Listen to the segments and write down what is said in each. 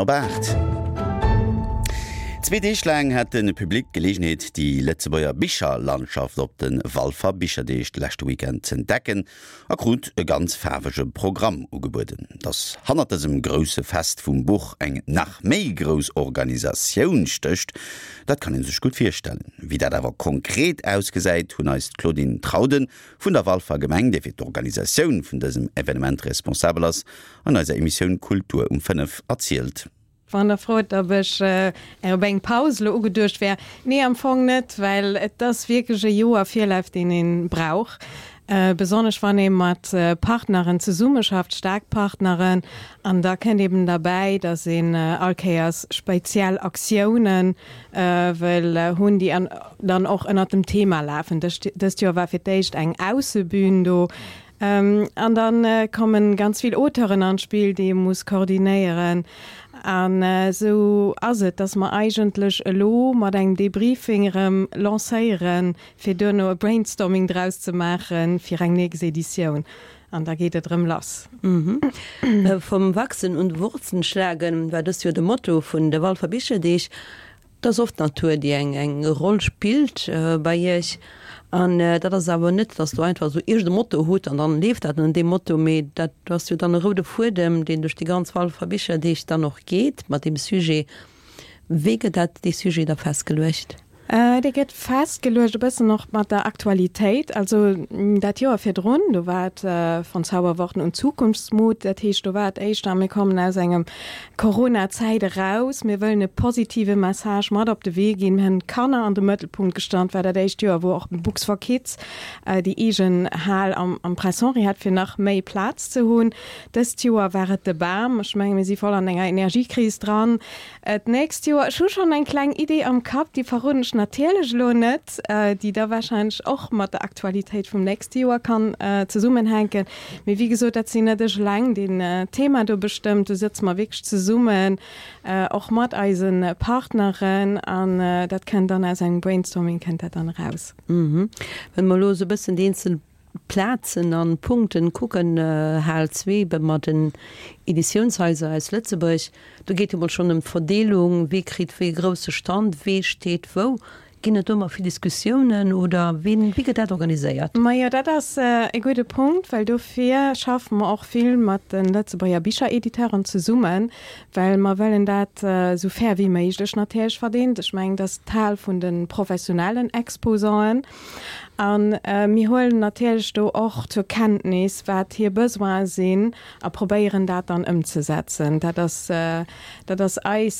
Op 8. Zwee Deeg laang hat de Public d'Geleegenheet, déi Lëtzebuerger Bicherlandschaft op de Walfer Bicherdeeg de leschte Weekend z'entdecken a krut e ganz faarwege Programm ugebueden. Dass hannert dësem grousse Fest vum Buch eng nach méi grouss Organisatioun stécht, dat kann ee sech gutt virstellen. Wéi dat awer konkret ausgesäit, hunn eis d'Claudine Trauden vun der Walfer Gemeng, déi fir d'Organisatioun vun dësem Evenement responsabel ass, an eiser Emissioun Kultur um 5 erzielt. Wann der frot, ob ech op eng Paus elo ugeduecht wär, nee, am Fong net, well et ass wierklech e Joer Virlaf, deen ee brauch, besonnesch wann ee mat Partneren zesummeschafft, staark Partneren. An da kënnt eben derbäi, datt een all Kéiers speziell Aktiounen wëll hunn, déi dann och ënnert dem Thema lafen. Dëst Joer war fir d'éischt eng Aussebün do, An da kommen ganz vill Auteuren an d'Spill, déi ee muss koordinéieren. An esou ass et, dass mer eigentlech elo mat engem Debriefing erëm lancéieren, fir duerno e Brainstorming draus ze maache fir eng nächst Editioun. An da geet et erëm lass. Vom Wachsen und Wurzeln schlagen war dëst Joer de Motto vun de Walfer Bicherdeeg. Et ass oft d'Natur, déi eng eng Roll spillt bei Iech. An dat ass awer net, datt Der einfach esou iergend e Motto hutt an dann leeft dat no deem Motto, mee dat ass jo dann e roude Fuedem, deen duerch déi ganz Walfer Bicherdeeg dann och geet mat deem Sujet. Wéi gëtt dat, dee Sujet da festgeluecht? Dee gëtt festgeluecht e bëssen och mat der Aktualitéit. Also dat Joer virdrun, do war et Von Zauberworten und Zukunftsmut. Dat heescht, do war et éischter, mir kommen aus engem Corona-Zäit eraus, mir wëllen e positive Message mat op de Wee ginn. Mir hunn d'Kanner an de Mëttelpunkt gestallt, war dat éischt Joer, wou och Books for Kids déi eegen Hal am Prince Henri hat, fir nach méi Plaz ze hunn. Dëst Joer war et de Bam. Ech menge mir si voll an enger Energiekris dran. D'nächst Joer, ech hu schonn eng kleng Idee am Kapp, déi verroden ech natierlech elo net, déi da warscheinlech och mat der Aktualitéit vum nächste Joer kann zesummenhänken. Mee wéi gesot, dat sinn net ech eleng, deen d'Thema do bestëmmt. Do sëtze mer wierklech zesummen, och mat eise Partneren, an dat kënnt dann aus engem Brainstorming kënnt dat dann eraus. Wa mer elo esou e bëssen déi eenzel Plazen an Punkten kucken, Hal 2 mat den Editiounshaiser aus Lëtzebuerg, do geet jo mol schonn ëm d'Verdeelung, wee kritt wéi e grousse Stand, wee steet wou. Ginn et do ëmmer vill Diskussiounen oder wien, wéi gëtt dat organiséiert? Majo, dat ass e gudde Punkt, well dofir schaffe mer och vill mat de Lëtzebuerger Bicherediteuren zesummen, well mer wëllen dat esou fair wéi méiglech natierlech verdeelen. Ech mengen, dat ass d'Hal vun de professionellen Exposanten. A mir huelen natierlech do och zur Kenntnis, wat hir Besoine sinn a probéieren dat dann ëmzesetzen. Dat ass, dat ass eis,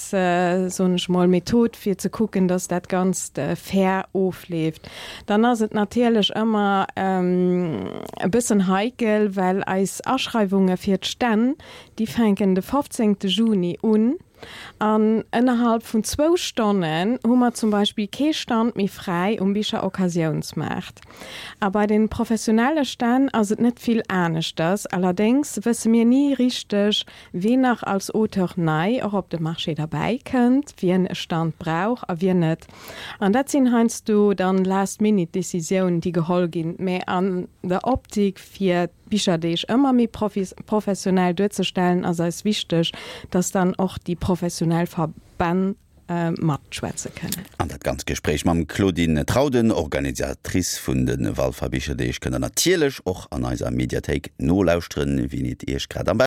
soen ech mol, Method, fir ze kucken, dass dat Ganzt fair ofleeft. Dann ass et natierlech ëmmer e bëssen heikel, well eis Aschreiwunge fir d'Stänn, déi fänken de 15. Juni un. An ënnerhalb vun zwou Stonnen hu mer zum Beispill kee Stand méi fräi um Bicher-Occasiounsmaart. A bei den professionelle Stänn ass et net vill aneschters. Allerdéngs wësse mir ni richteg, ween nach als Auteur nei och op de Marché derbäi kënnt, wien e Stand brauch a wien net. An dat sinn heiansdo dann Last-Minute-Decisiounen, déi geholl ginn, mä an der Optik fir Bicherdeeg ëmmer méi professionell duerzestellen, ass eis wichteg, dass dann och déi professionell Verbänn matschwätze kënnen. An dat ganzt Gespréich mam Claudine Trauden, Organisatrice vun de Walfer Bicherdeeg, kënnt der natierlech och an eiser Mediathéik nolauschteren, wien et iech grad am.